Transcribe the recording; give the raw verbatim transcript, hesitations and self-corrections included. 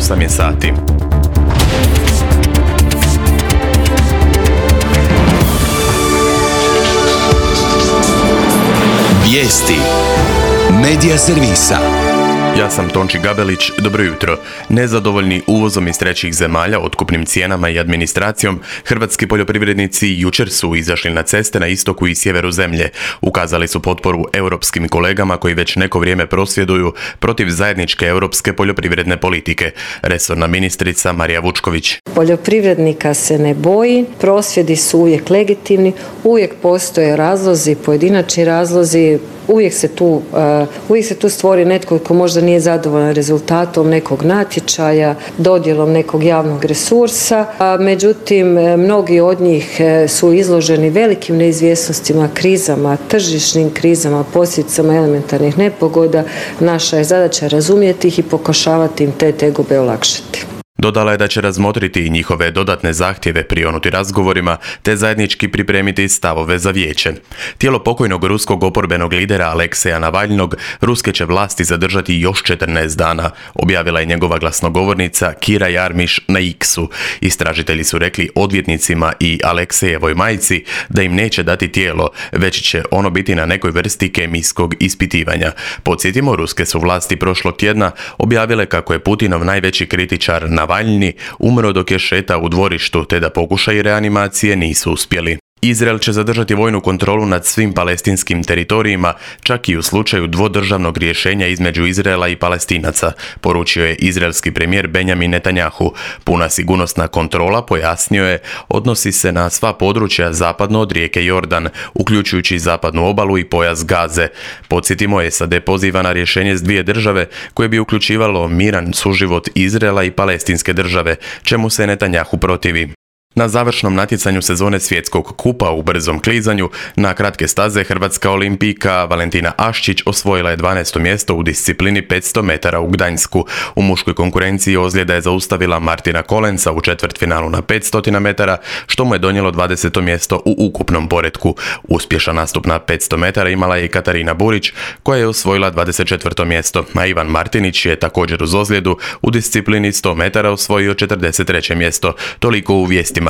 osam je sati. Vijesti Medija servisa. Ja sam Tonči Gabelić, dobro jutro. Nezadovoljni uvozom iz trećih zemalja, otkupnim cijenama i administracijom, hrvatski poljoprivrednici jučer su izašli na ceste na istoku i sjeveru zemlje. Ukazali su potporu europskim kolegama koji već neko vrijeme prosvjeduju protiv zajedničke europske poljoprivredne politike. Resorna ministrica Marija Vučković. Poljoprivrednika se ne boji, prosvjedi su uvijek legitimni, uvijek postoje razlozi, pojedinačni razlozi, uvijek se tu, uh, uvijek se tu stvori netko ko možda nije zadovoljan rezultatom nekog natječaja, dodjelom nekog javnog resursa, a međutim mnogi od njih su izloženi velikim neizvjesnostima, krizama, tržišnim krizama, posljedicama elementarnih nepogoda. Naša je zadaća razumjeti ih i pokušavati im te tegobe olakšati. Dodala je da će razmotriti i njihove dodatne zahtjeve, prionuti razgovorima, te zajednički pripremiti stavove za vijeće. Tijelo pokojnog ruskog oporbenog lidera Alekseja Navalnog ruske će vlasti zadržati još četrnaest dana, objavila je njegova glasnogovornica Kira Jarmiš na X-u. Istražitelji su rekli odvjetnicima i Aleksejevoj majci da im neće dati tijelo, već će ono biti na nekoj vrsti kemijskog ispitivanja. Podsjetimo, ruske su vlasti prošlog tjedna objavile kako je Putinov najveći kritičar Navalny umro dok je šetao u dvorištu, te da pokušaji reanimacije nisu uspjeli. Izrael će zadržati vojnu kontrolu nad svim palestinskim teritorijima, čak i u slučaju dvodržavnog rješenja između Izraela i Palestinaca, poručio je izraelski premijer Benjamin Netanjahu. Puna sigurnosna kontrola, pojasnio je, odnosi se na sva područja zapadno od rijeke Jordan, uključujući zapadnu obalu i pojas Gaze. Podsjetimo, S A D poziva na rješenje s dvije države koje bi uključivalo miran suživot Izraela i palestinske države, čemu se Netanjahu protivi. Na završnom natjecanju sezone svjetskog kupa u brzom klizanju na kratke staze hrvatska olimpijka Valentina Aščić osvojila je dvanaesto mjesto u disciplini petsto metara u Gdańsku. U muškoj konkurenciji ozljeda je zaustavila Martina Kolenca u četvrtfinalu na petsto metara, što mu je donijelo dvadeseto mjesto u ukupnom poretku. Uspješan nastup na petsto metara imala je i Katarina Burić, koja je osvojila dvadeset četvrto mjesto, a Ivan Martinić je također uz ozljedu u disciplini sto metara osvojio četrdeset treće mjesto. Toliko u vijestima